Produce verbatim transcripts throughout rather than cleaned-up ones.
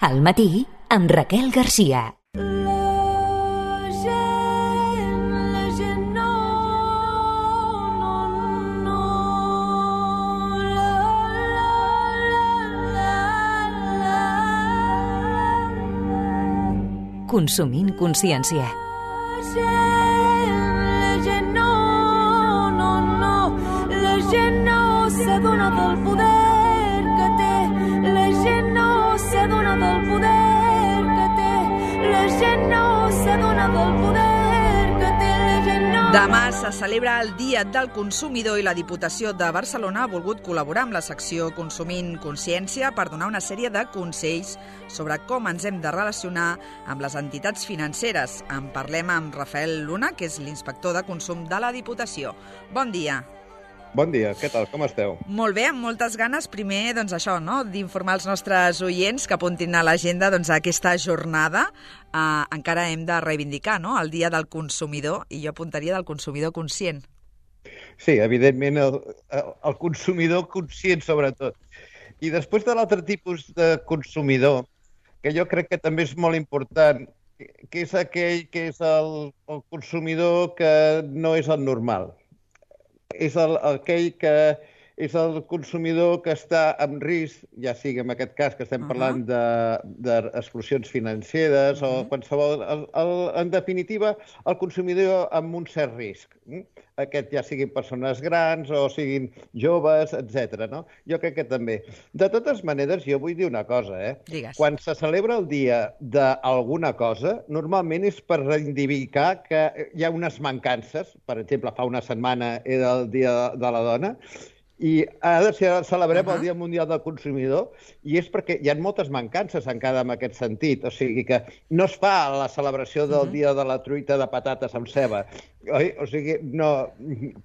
Al matí, amb Raquel Garcia. Consumint consciència. La gent no, no, no, la gent no s'adona del poder que té, la gent no s'adona del poder que té, la gent no s'adona del poder que té, la gent no... Demà se celebra el Dia del Consumidor i la Diputació de Barcelona ha volgut col·laborar amb la secció Consumint Consciència per donar una sèrie de consells sobre com ens hem de relacionar amb les entitats financeres. En parlem amb Rafael Luna, que és l'inspector de consum de la Diputació. Bon dia. Bon dia, què tal? Com esteu? Molt bé, amb moltes ganes. Primer, doncs això, no?, d'informar els nostres oients que apuntin a l'agenda doncs, aquesta jornada. Eh, encara hem de reivindicar, no?, el Dia del Consumidor, i jo apuntaria del consumidor conscient. Sí, evidentment, el, el consumidor conscient, sobretot. I després de l'altre tipus de consumidor, que jo crec que també és molt important, que és aquell que és el, el consumidor que no és el normal. És el, aquell que és el consumidor que està en risc, ja sigui en aquest cas que estem parlant d'exclusions financeres uh-huh. o qualsevol... El, el, en definitiva, el consumidor amb un cert risc. Aquest ja siguin persones grans o siguin joves, etcètera. No? Jo crec que també. De totes maneres, jo vull dir una cosa. Eh? Digues. Quan se celebra el dia d'alguna cosa, normalment és per reivindicar que hi ha unes mancances. Per exemple, fa una setmana era el Dia de la Dona, i ara celebrem uh-huh. el Dia Mundial del Consumidor i és perquè hi ha moltes mancances encara en aquest sentit. O sigui que no es fa la celebració del uh-huh. Dia de la truita de patates amb ceba. Oi? O sigui, no...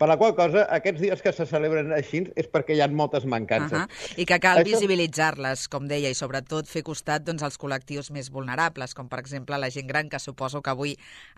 Per la qual cosa, aquests dies que se celebren així és perquè hi ha moltes mancances. Uh-huh. I que cal Això... visibilitzar-les, com deia, i sobretot fer costat doncs, als col·lectius més vulnerables, com per exemple la gent gran, que suposo que avui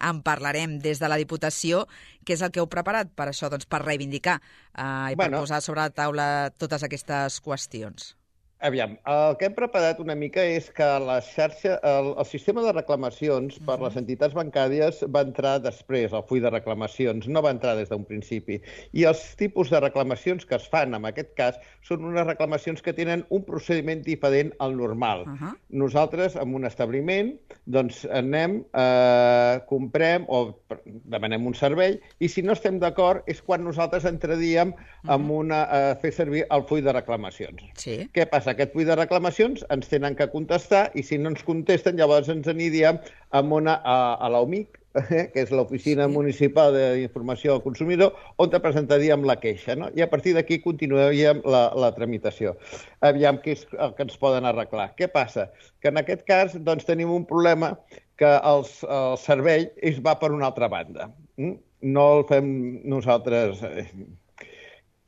en parlarem des de la Diputació. Què és el que heu preparat per això, doncs, per reivindicar eh, i bueno, per posar sobre la taula totes aquestes qüestions? Aviam, el que hem preparat una mica és que la xarxa, el, el sistema de reclamacions per les entitats bancàries va entrar després, el full de reclamacions, no va entrar des d'un principi. I els tipus de reclamacions que es fan, en aquest cas, són unes reclamacions que tenen un procediment diferent al normal. Uh -huh. Nosaltres, en un establiment, doncs anem, eh, comprem o demanem un servei i si no estem d'acord és quan nosaltres entraríem uh -huh. en una, a fer servir el full de reclamacions. Sí. Què passa? Aquest full de reclamacions ens tenen que contestar i si no ens contesten llavors ens aniríem amb una, a, a l'O M I C, eh, que és l'Oficina sí. Municipal d'Informació al Consumidor, on te presentaríem la queixa, no? I a partir d'aquí continuaríem la, la tramitació. Aviam què és el que ens poden arreglar. Què passa? Que en aquest cas doncs, tenim un problema que els, el servei es va per una altra banda. No el fem nosaltres...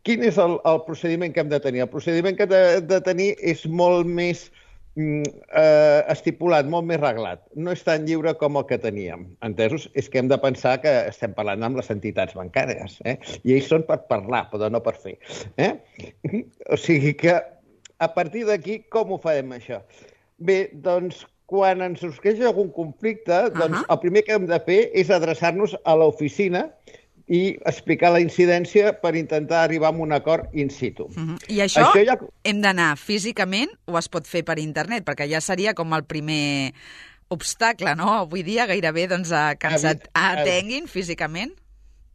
Quin és el, el procediment que hem de tenir? El procediment que hem de, de tenir és molt més eh, estipulat, molt més reglat. No és tan lliure com el que teníem. Entesos? És que hem de pensar que estem parlant amb les entitats bancàries. Eh? I ells són per parlar, però no per fer. Eh? O sigui que, a partir d'aquí, com ho farem, això? Bé, doncs, quan ens sorgeix algun conflicte, doncs, uh-huh. el primer que hem de fer és adreçar-nos a l'oficina i explicar la incidència per intentar arribar a un acord in situ. Uh-huh. I això, això ja... hem d'anar físicament o es pot fer per internet? Perquè ja seria com el primer obstacle, no? Avui dia gairebé doncs, que ens atenguin físicament.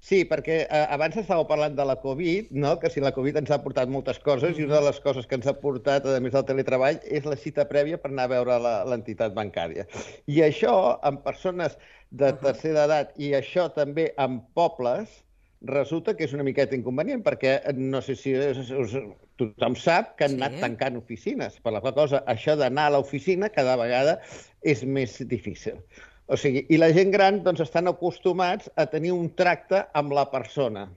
Sí, perquè eh, abans estàveu parlant de la Covid, no? Que si la Covid ens ha portat moltes coses uh-huh. i una de les coses que ens ha portat, a més del teletreball, és la cita prèvia per anar a veure l'entitat bancària. I això, en persones de tercera edat, i això també en pobles, resulta que és una miqueta inconvenient, perquè no sé si us, us, tothom sap que han sí. anat tancant oficines. Per la qual cosa, això d'anar a l'oficina cada vegada és més difícil. O sigui, i la gent gran doncs, estan acostumats a tenir un tracte amb la persona.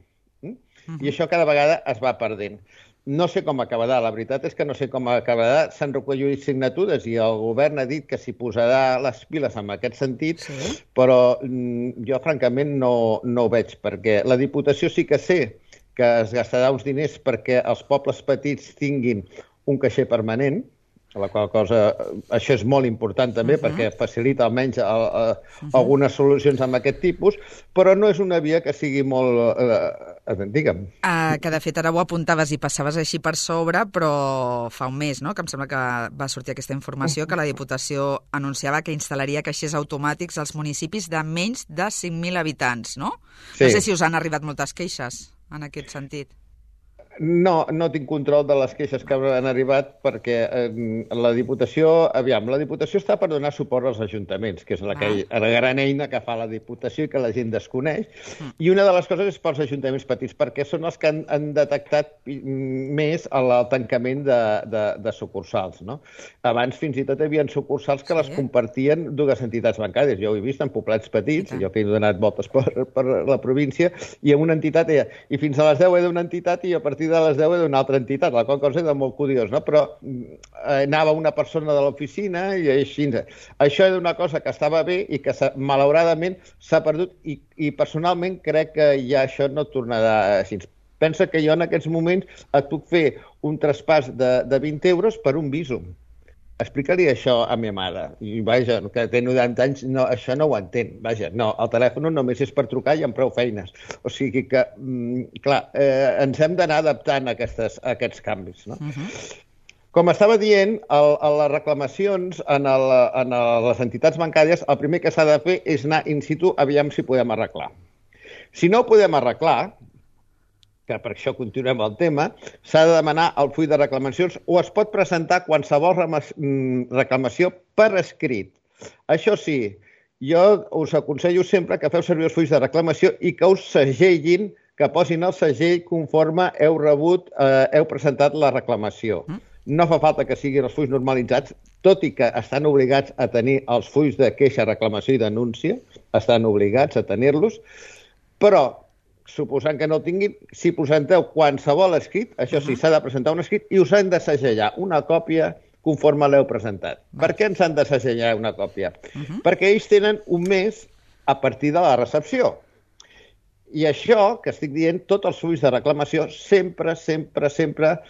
Mm? Uh-huh. I això cada vegada es va perdent. No sé com acabarà, la veritat és que no sé com acabarà. S'han recollit signatures i el govern ha dit que s'hi posarà les piles en aquest sentit, sí. però jo francament no, no ho veig, perquè la Diputació sí que sé que es gastarà uns diners perquè els pobles petits tinguin un caixer permanent, la qual cosa, això és molt important també, uh-huh. perquè facilita almenys a, a, a uh-huh. algunes solucions amb aquest tipus, però no és una via que sigui molt... Eh, digue'm. Uh, que de fet ara ho apuntaves i passaves així per sobre, però fa un mes, no?, que em sembla que va sortir aquesta informació, que la Diputació anunciava que instal·laria caixers automàtics als municipis de menys de cinc mil habitants, no? Sí. No sé si us han arribat moltes queixes en aquest sentit. No, no tinc control de les queixes que han arribat perquè eh, la Diputació, aviam, la Diputació està per donar suport als ajuntaments, que és la, que, ah. la gran eina que fa la Diputació i que la gent desconeix, mm. i una de les coses és pels ajuntaments petits, perquè són els que han, han detectat més el, el tancament de, de, de sucursals, no? Abans fins i tot hi havia sucursals que sí. les compartien dues entitats bancàries. Jo ho he vist en poblets petits, sí. jo que he donat voltes per, per la província, i en una entitat, i, i fins a les deu he d'una entitat i a partir de les deu d'una altra entitat, la qual cosa era molt curiós, no? Però eh, anava una persona de l'oficina i així. Això era una cosa que estava bé i que malauradament s'ha perdut i, i personalment crec que ja això no tornarà així. Pensa que jo en aquests moments et puc fer un traspàs de, de vint euros per un Bizum. Explica-li això a ma mare. I vaja, que té noranta anys, no, això no ho entén. Vaja, no, el telèfon només és per trucar i amb prou feines. O sigui que, mm, clar, eh, ens hem d'anar adaptant a, aquestes, a aquests canvis, no? Uh-huh. Com estava dient, el, a les reclamacions en, el, en les entitats bancàries, el primer que s'ha de fer és anar in situ, aviam si podem arreglar. Si no ho podem arreglar, que per això continuem el tema, s'ha de demanar el full de reclamacions o es pot presentar qualsevol reclamació per escrit. Això sí, jo us aconsello sempre que feu servir els fulls de reclamació i que us segellin, que posin el segell conforme heu rebut, eh, heu presentat la reclamació. No fa falta que siguin els fulls normalitzats, tot i que estan obligats a tenir els fulls de queixa, reclamació i denúncia, estan obligats a tenir-los, però suposant que no el tinguin, si presenteu qualsevol escrit, això sí, s'ha de presentar un escrit i us han de segellar una còpia conforme l'heu presentat. Per què ens han de segellar una còpia? Uh-huh. Perquè ells tenen un mes a partir de la recepció. I això, que estic dient, tots els fulls de reclamació, sempre, sempre, sempre,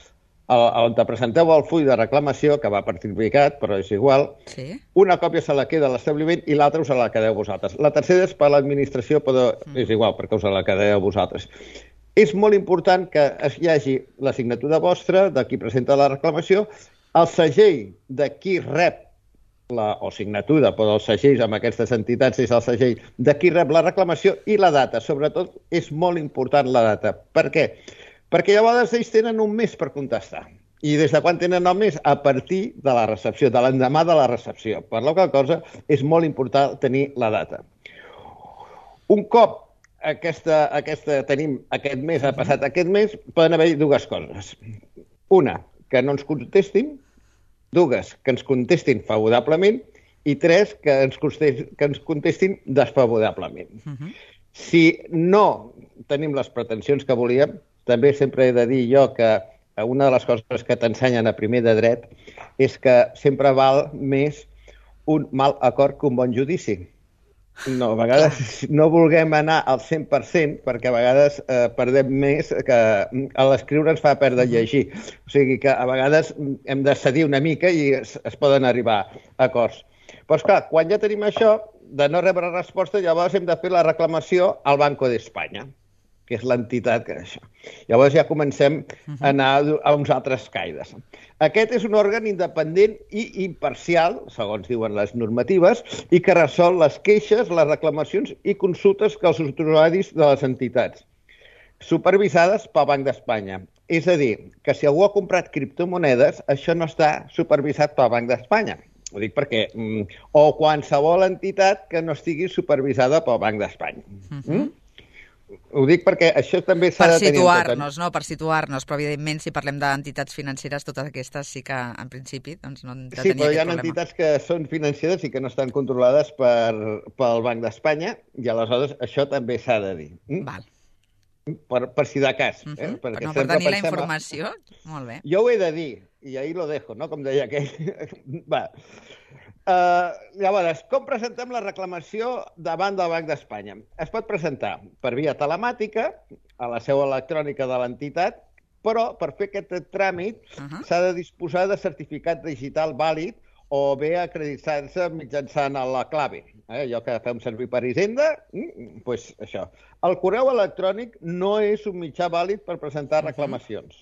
on te presenteu el full de reclamació, que va certificat, però és igual, sí. una còpia se la queda a l'establiment i l'altra us la quedeu vosaltres. La tercera és per l'administració, però és igual, perquè us la quedeu vosaltres. És molt important que hi hagi la signatura vostra, de qui presenta la reclamació, el segell de qui rep la, o signatura, però els segells amb aquestes entitats és el segell de qui rep la reclamació i la data. Sobretot és molt important la data. Per què? Perquè llavors ells tenen un mes per contestar. I des de quan tenen el mes? A partir de la recepció, de l'endemà de la recepció. Per la qual cosa és molt important tenir la data. Un cop aquesta, aquesta, tenim aquest mes, ha passat aquest mes, poden haver dues coses. Una, que no ens contestin. Dues, que ens contestin favorablement. I tres, que ens contestin, que ens contestin desfavorablement. Uh-huh. Si no tenim les pretensions que volíem, també sempre he de dir jo que una de les coses que t'ensenyen a primer de dret és que sempre val més un mal acord que un bon judici. No, a vegades no vulguem anar al cent per cent perquè a vegades eh, perdem més que a l'escriure ens fa perdre llegir. O sigui que a vegades hem de cedir una mica i es, es poden arribar a acords. Però esclar, quan ja tenim això, de no rebre resposta, llavors hem de fer la reclamació al Banco d'Espanya, que és l'entitat que això. Llavors ja comencem a anar a uns altres caires. Aquest és un òrgan independent i imparcial, segons diuen les normatives, i que resol les queixes, les reclamacions i consultes que els usuaris de les entitats, supervisades pel Banc d'Espanya. És a dir, que si algú ha comprat criptomonedes, això no està supervisat pel Banc d'Espanya. Ho dic perquè... O qualsevol entitat que no estigui supervisada pel Banc d'Espanya. Mm? Ho dic perquè això també s'ha de tenir en compte. Per situar-nos, no? Per situar-nos, però evidentment si parlem d'entitats financeres, totes aquestes sí que en principi doncs, no han de tenir sí, però hi ha problema. entitats que són financeres i que no estan controlades per, pel Banc d'Espanya i aleshores això també s'ha de dir. Mm? Val. Per, per si de cas. Uh-huh. eh? Per, no, per tenir la informació. A... Molt bé. Jo ho he de dir, i ahí lo dejo, no? Com deia aquell. Va. Uh, llavors, com presentem la reclamació davant del Banc d'Espanya? Es pot presentar per via telemàtica, a la seu electrònica de l'entitat, però per fer aquest tràmit uh -huh. s'ha de disposar de certificat digital vàlid o bé acreditar-se mitjançant la clave. Eh? Allò que fem servir per Hisenda, doncs pues això. El correu electrònic no és un mitjà vàlid per presentar reclamacions.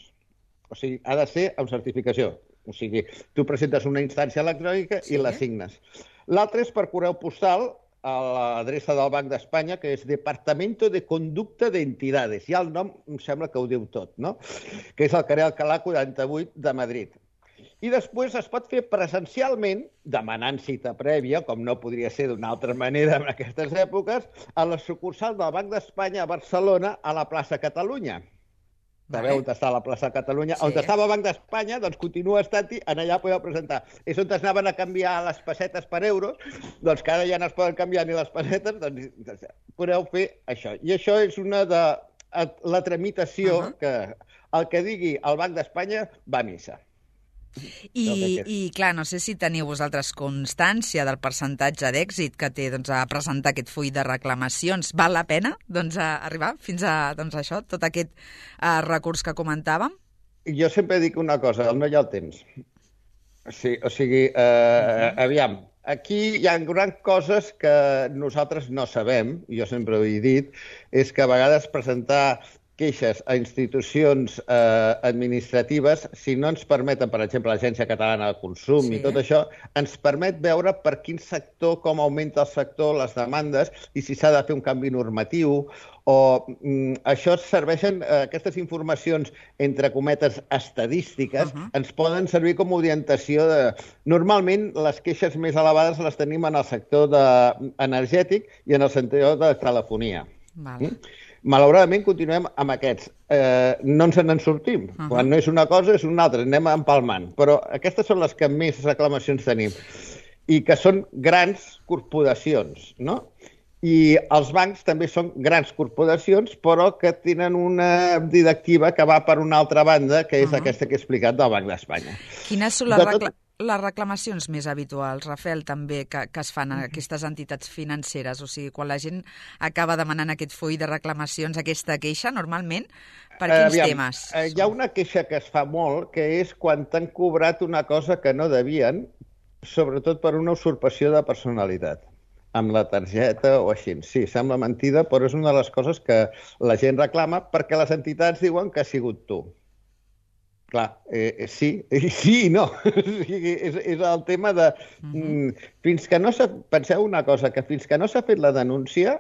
O sigui, ha de ser amb certificació. O sigui, tu presentes una instància electrònica sí. i la signes. L'altre és per correu postal a l'adreça del Banc d'Espanya, que és Departamento de Conducta de Entidades. Ja el nom em sembla que ho diu tot, no? Que és el carrer Alcalá quaranta-vuit de Madrid. I després es pot fer presencialment, demanant cita prèvia, com no podria ser d'una altra manera en aquestes èpoques, a la sucursal del Banc d'Espanya a Barcelona, a la plaça Catalunya. Sabeu on està la plaça Catalunya? Sí. On estava el Banc d'Espanya, doncs continua estant-hi, en allà podeu presentar. És on es anaven a canviar les pessetes per euros, doncs que ara ja no es poden canviar ni les pessetes, doncs podeu fer això. I això és una de la tramitació uh -huh. que el que digui el Banc d'Espanya va a missa. I, I, clar, no sé si teniu vosaltres constància del percentatge d'èxit que té doncs, a presentar aquest full de reclamacions. Val la pena doncs, a arribar fins a doncs, això, tot aquest uh, recurs que comentàvem? Jo sempre dic una cosa, no hi ha el temps. O sigui, o sigui eh, uh-huh. aviam, aquí hi ha grans coses que nosaltres no sabem, jo sempre ho he dit, és que a vegades presentar queixes a institucions eh, administratives, si no ens permeten, per exemple, l'Agència Catalana de Consum sí. i tot això, ens permet veure per quin sector, com augmenta el sector, les demandes, i si s'ha de fer un canvi normatiu, o mm, això serveixen, eh, aquestes informacions, entre cometes, estadístiques, uh-huh. ens poden servir com a orientació de... Normalment, les queixes més elevades les tenim en el sector de... energètic i en el sector de telefonia. Val. Mm? Malauradament, continuem amb aquests. Eh, no ens en sortim. Uh-huh. Quan no és una cosa, és una altra. Anem empalmant. Però aquestes són les que més reclamacions tenim. I que són grans corporacions, no? I els bancs també són grans corporacions, però que tenen una directiva que va per una altra banda, que és uh-huh. aquesta que he explicat del Banc d'Espanya. Quines són les reclamacions? Les reclamacions més habituals, Rafael, també, que, que es fan a aquestes entitats financeres? O sigui, quan la gent acaba demanant aquest full de reclamacions, aquesta queixa, normalment, per quins Aviam, temes? Eh, hi ha una queixa que es fa molt, que és quan t'han cobrat una cosa que no devien, sobretot per una usurpació de personalitat, amb la targeta o així. Sí, sembla mentida, però és una de les coses que la gent reclama perquè les entitats diuen que ha sigut tu. Clar, eh, sí, sí i no. és, és el tema de... Mm, fins que no s'ha... Penseu una cosa, que fins que no s'ha fet la denúncia,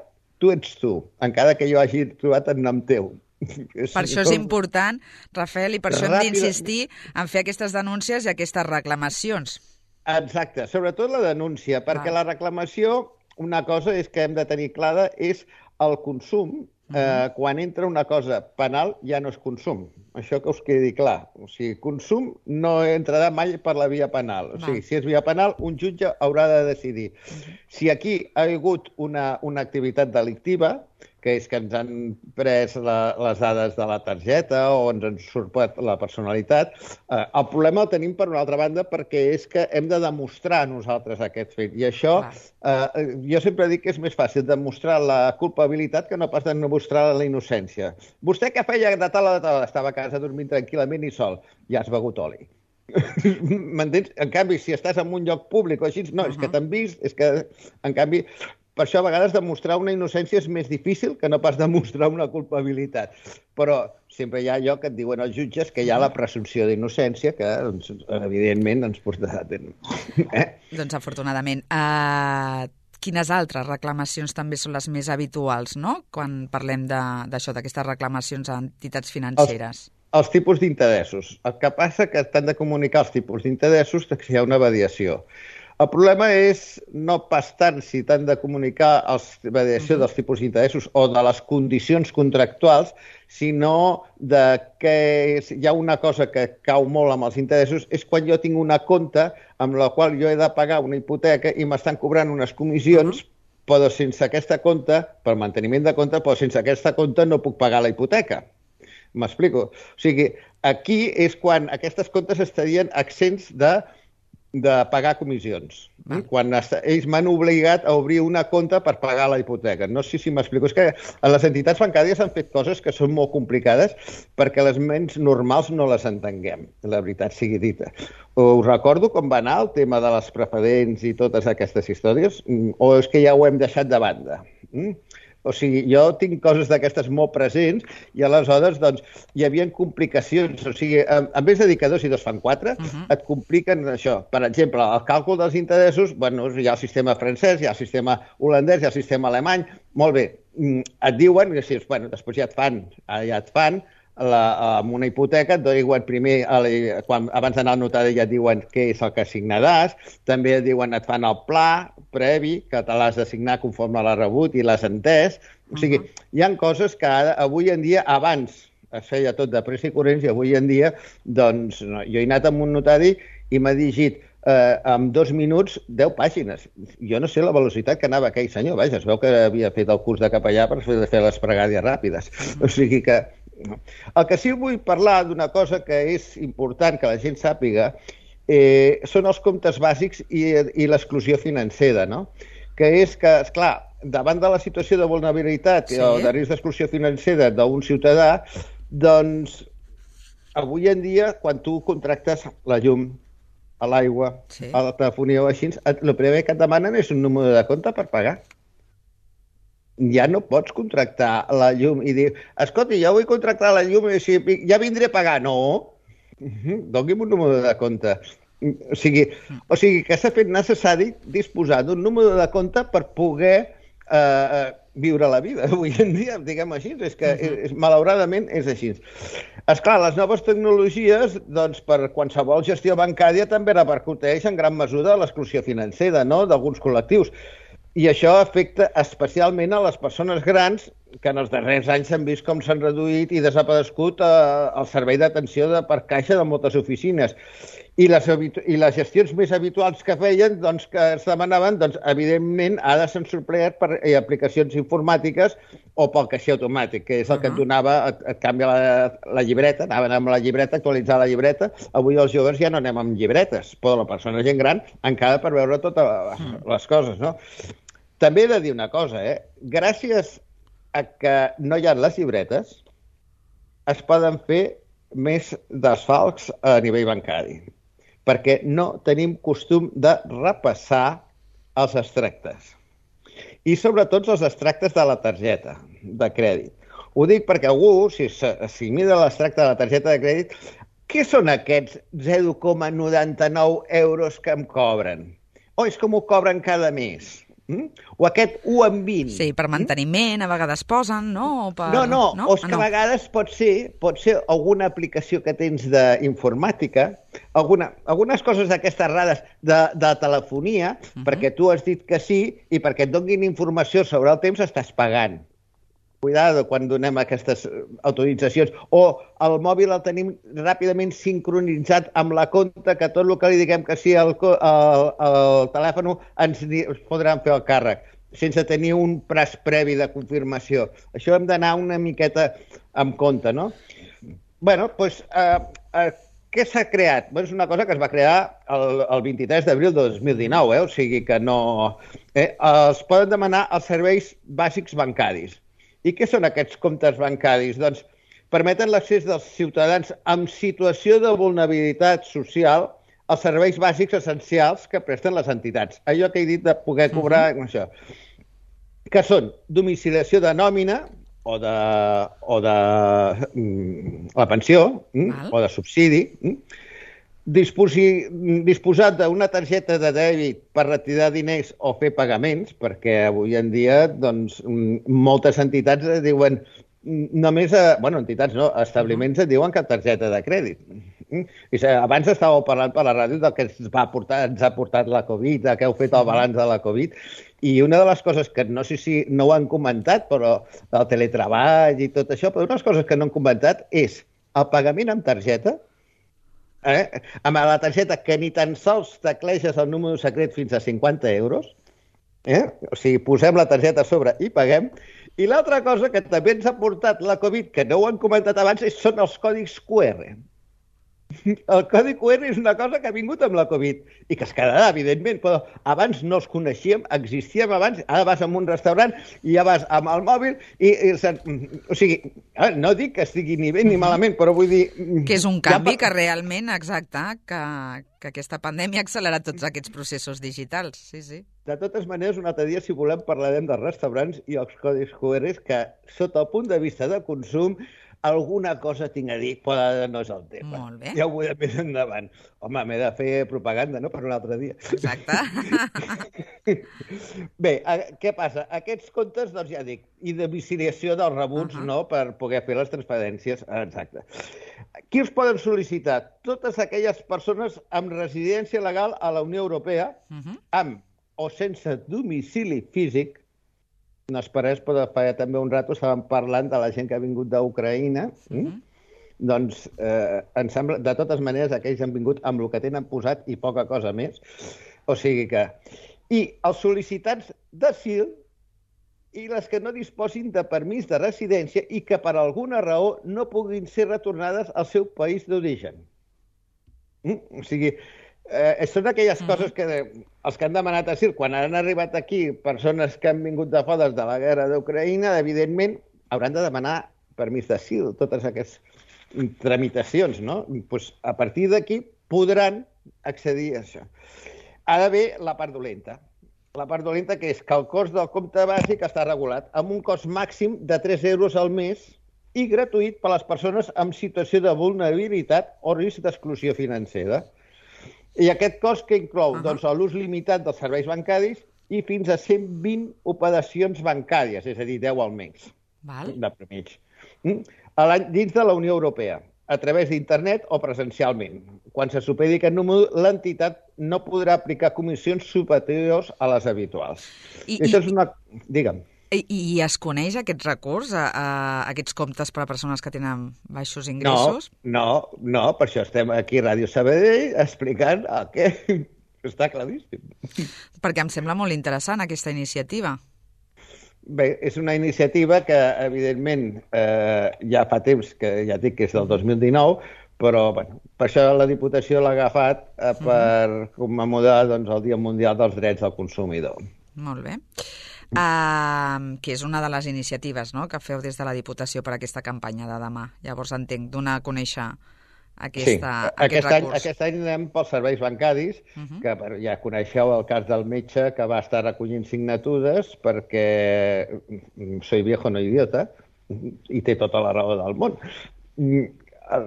tu ets tu, encara que jo hagi trobat el nom teu. Per això és important, Rafael, i per això hem d'insistir en fer aquestes denúncies i aquestes reclamacions. Exacte, sobretot la denúncia, perquè la reclamació, una cosa és que hem de tenir clara, és el consum. Eh, quan entra una cosa penal ja no és consum. Això que us quedi clar. O sigui, consum no entrarà mai per la via penal. O sigui, si és via penal, un jutge haurà de decidir. Si aquí ha hagut una, una activitat delictiva, que és que ens han pres la, les dades de la targeta o ens han usurpat la personalitat, eh, el problema el tenim per una altra banda perquè és que hem de demostrar nosaltres aquest fet. I això, eh, jo sempre dic que és més fàcil demostrar la culpabilitat que no pas demostrar la innocència. Vostè què feia de tal a tal? Estava a casa dormint tranquil·lament i sol. Ja has begut oli. M'entens? En canvi, si estàs en un lloc públic o així, no, uh-huh. és que t'han vist, és que, en canvi... Per això, a vegades, demostrar una innocència és més difícil que no pas demostrar una culpabilitat. Però sempre hi ha allò que et diuen els jutges que hi ha la presumpció d'innocència que, doncs, evidentment, ens portarà a terme. Eh? Doncs, afortunadament. Uh, quines altres reclamacions també són les més habituals, no?, quan parlem d'això, d'aquestes reclamacions a entitats financeres? Els, els tipus d'interessos. El que passa que t'han de comunicar els tipus d'interessos que hi ha una variació. El problema és no pas tant si t'han de comunicar la variació dels tipus d'interessos o de les condicions contractuals, sinó de que hi ha una cosa que cau molt amb els interessos, és quan jo tinc una compta amb la qual jo he de pagar una hipoteca i m'estan cobrant unes comissions, però sense aquesta compta, per manteniment de compte, però sense aquesta compta no puc pagar la hipoteca. M'explico? O sigui, aquí és quan aquestes comptes estarien exempts de de pagar comissions. Ah. Quan ells m'han obligat a obrir una compte per pagar la hipoteca. No sé si m'explico. És que les entitats bancàries han fet coses que són molt complicades perquè les ments normals no les entenguem, la veritat sigui dita. Us recordo com va anar el tema de les preferents i totes aquestes històries? O és que ja ho hem deixat de banda? Mm? O sigui, jo tinc coses d'aquestes molt presents i aleshores doncs, hi havia complicacions. O sigui, en vez de dir que dos i dos fan quatre, uh-huh. et compliquen això. Per exemple, el càlcul dels interessos, bueno, hi ha el sistema francès, hi ha el sistema holandès, hi ha el sistema alemany. Molt bé, et diuen, que, bueno, després ja et fan, ja et fan la, amb una hipoteca, et diuen primer, quan, abans d'anar al notari ja et diuen què és el que assignaràs, també et diuen, et fan el pla previ, que te l'has d'assignar conforme l'has rebut i l'has entès. O sigui, uh-huh. hi ha coses que ara, avui en dia, abans es feia tot de pressa i corrents i avui en dia, doncs, no, jo he anat amb un notari i m'ha digit eh, en dos minuts deu pàgines. Jo no sé la velocitat que anava aquell senyor, vaja, es veu que havia fet el curs de capellà per fer, fer les pregàries ràpides. Uh-huh. O sigui que el que sí vull parlar d'una cosa que és important que la gent sàpiga eh, són els comptes bàsics i, i l'exclusió financera, no? Que és que, esclar, davant de la situació de vulnerabilitat sí. o de risc d'exclusió financera d'un ciutadà, doncs avui en dia, quan tu contractes la llum, a l'aigua, sí. a la telefonia o així, el primer que et demanen és un número de compte per pagar. Ja no pots contractar la llum i dir, escolta, ja vull contractar la llum i ja vindré a pagar. No, doni'm un número de compte. O sigui, o sigui que s'ha fet necessari disposar d'un número de compte per poder eh, viure la vida. Avui en dia, diguem així, és que és, malauradament és així. Esclar, les noves tecnologies, doncs, per qualsevol gestió bancària també repercuteix en gran mesura l'exclusió financera, no?, d'alguns col·lectius. I això afecta especialment a les persones grans que en els darrers anys s'han vist com s'han reduït i desaparegut eh, el servei d'atenció de per caixa de moltes oficines. I les, I les gestions més habituals que feien, doncs, que es demanaven, doncs, evidentment, ara s'han suplert per eh, aplicacions informàtiques o pel caixer automàtic, que és el que et donava, et, et canvia la, la llibreta, anaven amb la llibreta, actualitzar la llibreta. Avui els joves ja no anem amb llibretes, però la persona gent gran encara per veure totes les coses, no? També he de dir una cosa, eh? Gràcies a que no hi ha les llibretes, es poden fer més desfalcs a nivell bancari, perquè no tenim costum de repassar els extractes. I sobretot els extractes de la targeta de crèdit. Ho dic perquè algú, si, si mira l'extracte de la targeta de crèdit, què són aquests zero coma noranta-nou euros que em cobren? O és com ho cobren cada mes? Mm? O aquest u en vint. Sí, per manteniment, a vegades posen, no? O per... No, no, no, o és que no. A vegades pot ser, pot ser alguna aplicació que tens d'informàtica, alguna, algunes coses d'aquestes rares de, de telefonia, uh-huh. perquè tu has dit que sí i perquè et donin informació sobre el temps estàs pagant. Cuidado quan donem aquestes autoritzacions. O el mòbil el tenim ràpidament sincronitzat amb la compta, que tot el que li diguem que sí al el, el telèfon ens podran fer el càrrec, sense tenir un praç previ de confirmació. Això hem d'anar una miqueta amb compte, no? Bé, doncs, eh, eh, què s'ha creat? Bé, és una cosa que es va crear el, el vint-i-tres d'abril de dos mil dinou, eh? O sigui que no... Eh, els poden demanar els serveis bàsics bancaris. I què són aquests comptes bancaris? Doncs permeten l'accés dels ciutadans en situació de vulnerabilitat social als serveis bàsics essencials que presten les entitats. Allò que he dit de poder cobrar... Uh-huh. Això. Que són domiciliació de nòmina o de, o de mm, la pensió mm, o de subsidi, mm, disposi, disposat d'una targeta de dèbit per retirar diners o fer pagaments, perquè avui en dia doncs, moltes entitats diuen només, a, bueno, entitats no, establiments et diuen que targeta de crèdit. I abans estàveu parlant per la ràdio del que ens, va portar, ens ha portat la Covid, que heu fet el balanç de la Covid, i una de les coses que no sé si no ho han comentat, però el teletreball i tot això, però una de les coses que no han comentat és el pagament amb targeta, eh? Amb la targeta que ni tan sols tecleges el número secret fins a cinquanta euros, eh? O sigui, posem la targeta a sobre i paguem. I l'altra cosa que també ens ha portat la Covid, que no ho han comentat abans, són els còdics Q R. El codi Q R és una cosa que ha vingut amb la Covid i que es quedarà, evidentment, però abans no els coneixíem, existíem abans, ara vas a un restaurant i ja vas amb el mòbil i... i o sigui, no dic que estigui ni bé ni malament, però vull dir... Que és un canvi ja... que realment, exacte, que, que aquesta pandèmia ha accelerat tots aquests processos digitals, sí, sí. De totes maneres, un altre dia, si volem, parlarem dels restaurants i els codis Q R que, sota el punt de vista de consum, alguna cosa tinc a dir, però no és el tema. Molt bé. Ja ho veurem més endavant. Home, m'he de fer propaganda, no?, per un altre dia. Exacte. Bé, què passa? Aquests comptes, doncs ja dic, i de domiciliació dels rebuts, uh -huh. no?, per poder fer les transferències. Exacte. Qui els poden sol·licitar? Totes aquelles persones amb residència legal a la Unió Europea, uh -huh. amb o sense domicili físic. No esperés, però fa també un rato estàvem parlant de la gent que ha vingut d'Ucraïna. Mm-hmm. Doncs, eh, em sembla, de totes maneres, aquells han vingut amb el que tenen posat i poca cosa més. O sigui que... I els sol·licitants d'asil i les que no disposin de permís de residència i que per alguna raó no puguin ser retornades al seu país d'origen. Mm? O sigui... Eh, són aquelles coses que els que han demanat asil, quan han arribat aquí persones que han vingut de fora de la guerra d'Ucraïna, evidentment hauran de demanar permís d'asil, totes aquestes tramitacions, no? Pues, a partir d'aquí podran accedir a això. Ara ve la part dolenta. La part dolenta que és que el cost del compte bàsic està regulat amb un cost màxim de tres euros al mes i gratuït per a les persones amb situació de vulnerabilitat o risc d'exclusió financera. I aquest cost que inclou uh -huh. doncs, l'ús limitat dels serveis bancaris i fins a cent vint operacions bancàries, és a dir, deu al mes. Val. De mig. Mm? Dins de la Unió Europea, a través d'internet o presencialment. Quan se superi aquest número, l'entitat no podrà aplicar comissions superiors a les habituals. I, Això i... és una... Digue'm. I, I es coneix aquest recurs, a, a aquests comptes per a persones que tenen baixos ingressos? No, no, no, per això estem aquí a Ràdio Sabadell explicant el que està claríssim. Perquè em sembla molt interessant aquesta iniciativa. Bé, és una iniciativa que, evidentment, eh, ja fa temps, que ja dic que és del dos mil dinou, però bueno, per això la Diputació l'ha agafat eh, per uh-huh. commemorar doncs, el Dia Mundial dels Drets del Consumidor. Molt bé. Uh, que és una de les iniciatives, no?, que feu des de la Diputació per aquesta campanya de demà. Llavors entenc, donar a conèixer aquesta, sí, aquest aquest recurs. Any, aquest any anem pels serveis bancaris, uh-huh. que ja coneixeu el cas del metge que va estar recollint signatures perquè soy viejo no idiota i té tota la raó del món.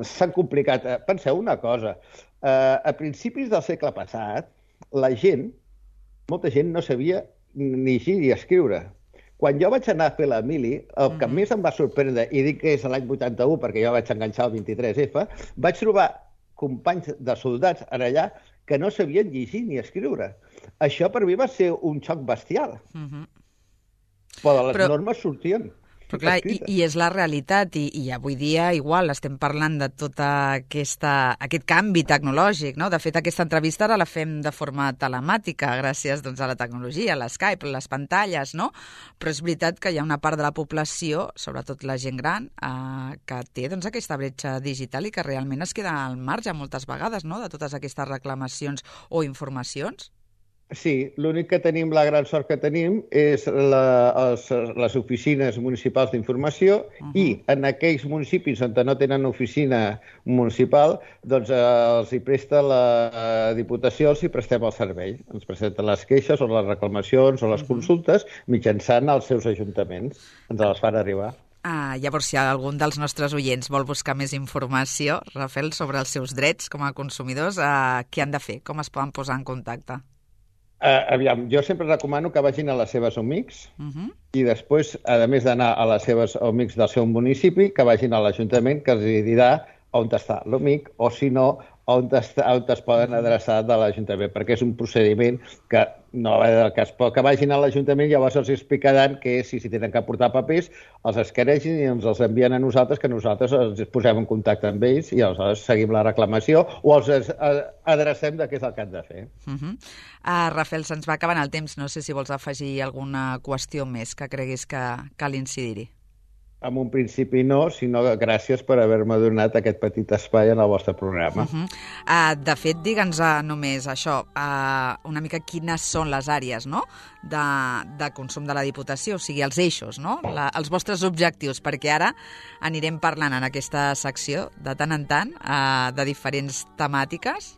S'han complicat. Penseu una cosa, uh, a principis del segle passat la gent, molta gent no sabia ni llegir ni escriure. Quan jo vaig anar a fer la mili, el que mm-hmm. més em va sorprendre, i dic que és l'any vuitanta-u, perquè jo vaig enganxar el vint-i-tres efa, vaig trobar companys de soldats en allà que no sabien llegir ni escriure. Això per mi va ser un xoc bestial. Mm-hmm. Però les Però... normes sortien. Però clar, i, i és la realitat, i, i avui dia igual estem parlant de tot aquesta, aquest canvi tecnològic, no? De fet, aquesta entrevista ara la fem de forma telemàtica, gràcies doncs, a la tecnologia, a l'Skype, a les pantalles, no? Però és veritat que hi ha una part de la població, sobretot la gent gran, eh, que té doncs, aquesta bretxa digital i que realment es queda al marge moltes vegades, no?, de totes aquestes reclamacions o informacions. Sí, l'únic que tenim, la gran sort que tenim, és la, els, les oficines municipals d'informació uh-huh. i en aquells municipis on no tenen oficina municipal, doncs eh, els hi presta la Diputació, els hi prestem el servei. Ens presenten les queixes o les reclamacions o les uh-huh. consultes mitjançant els seus ajuntaments. Ens les fan arribar. Ah, llavors, si algun dels nostres oients vol buscar més informació, Rafael, sobre els seus drets com a consumidors, eh, què han de fer? Com es poden posar en contacte? Uh, aviam, jo sempre recomano que vagin a les seves O M I Cs uh-huh. i després, a més d'anar a les seves O M I Cs del seu municipi, que vagin a l'Ajuntament, que els dirà on està l'O M I C o, si no, on, està, on es poden adreçar de l'Ajuntament, perquè és un procediment que no va del cas, però que vagin a l'Ajuntament, llavors els explicaran que si, si tenen que portar papers, els escanegin i ens els envien a nosaltres, que nosaltres ens posem en contacte amb ells i aleshores seguim la reclamació o els adrecem de què és el que han de fer. Uh-huh. uh, Rafael, se'ns va acabant el temps. No sé si vols afegir alguna qüestió més que creguis que cal incidir-hi. en un principi no, sinó gràcies per haver-me donat aquest petit espai en el vostre programa. Uh -huh. uh, de fet, digue'ns uh, només això, uh, una mica quines són les àrees, no?, de, de consum de la Diputació, o sigui, els eixos, no?, la, els vostres objectius, perquè ara anirem parlant en aquesta secció, de tant en tant, uh, de diferents temàtiques.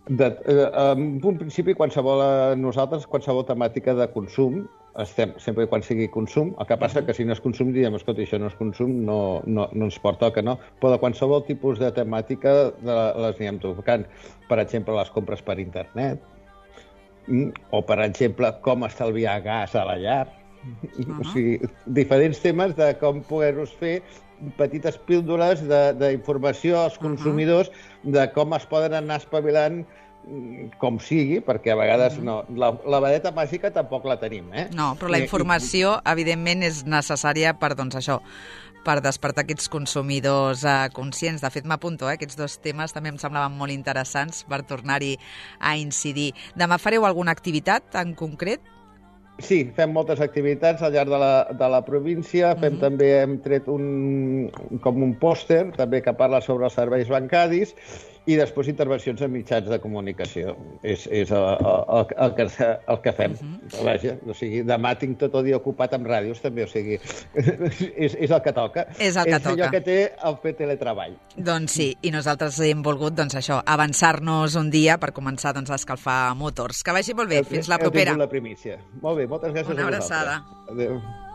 De, eh, en un principi, qualsevol, nosaltres, qualsevol temàtica de consum, estem sempre i quan sigui consum, el que passa que si no és consum diríem, escolta, això no és consum, no, no, no ens pertoca, no? Però de qualsevol tipus de temàtica de, les anirem tocant. Per exemple, les compres per internet, o per exemple, com estalviar gas a la llar. Uh-huh. O sigui, diferents temes de com poder-nos fer petites píldoles d'informació als consumidors uh-huh. de com es poden anar espavilant com sigui, perquè a vegades no, la, la vareta màgica tampoc la tenim, eh? No, però la informació, evidentment, és necessària per, doncs, això, per despertar aquests consumidors eh, conscients. De fet, m'apunto, eh? Aquests dos temes també em semblaven molt interessants per tornar-hi a incidir. Demà fareu alguna activitat en concret? Sí, fem moltes activitats al llarg de la, de la província. Fem uh-huh. també, hem tret un, com un pòster també que parla sobre els serveis bancaris i després intervencions en mitjans de comunicació. És, és el, el, el, que, el que fem. Uh-huh. Vaja, o sigui, demà tinc tot el dia ocupat amb ràdios, també, o sigui, és, és el que toca. És el que és toca. allò que té el fer teletreball. Doncs sí, i nosaltres hem volgut, doncs això, avançar-nos un dia per començar, doncs, a escalfar motors. Que vagi molt bé, fins la propera. Heu tingut la primícia. Molt bé, moltes gràcies Una a vosaltres. abraçada. Adéu.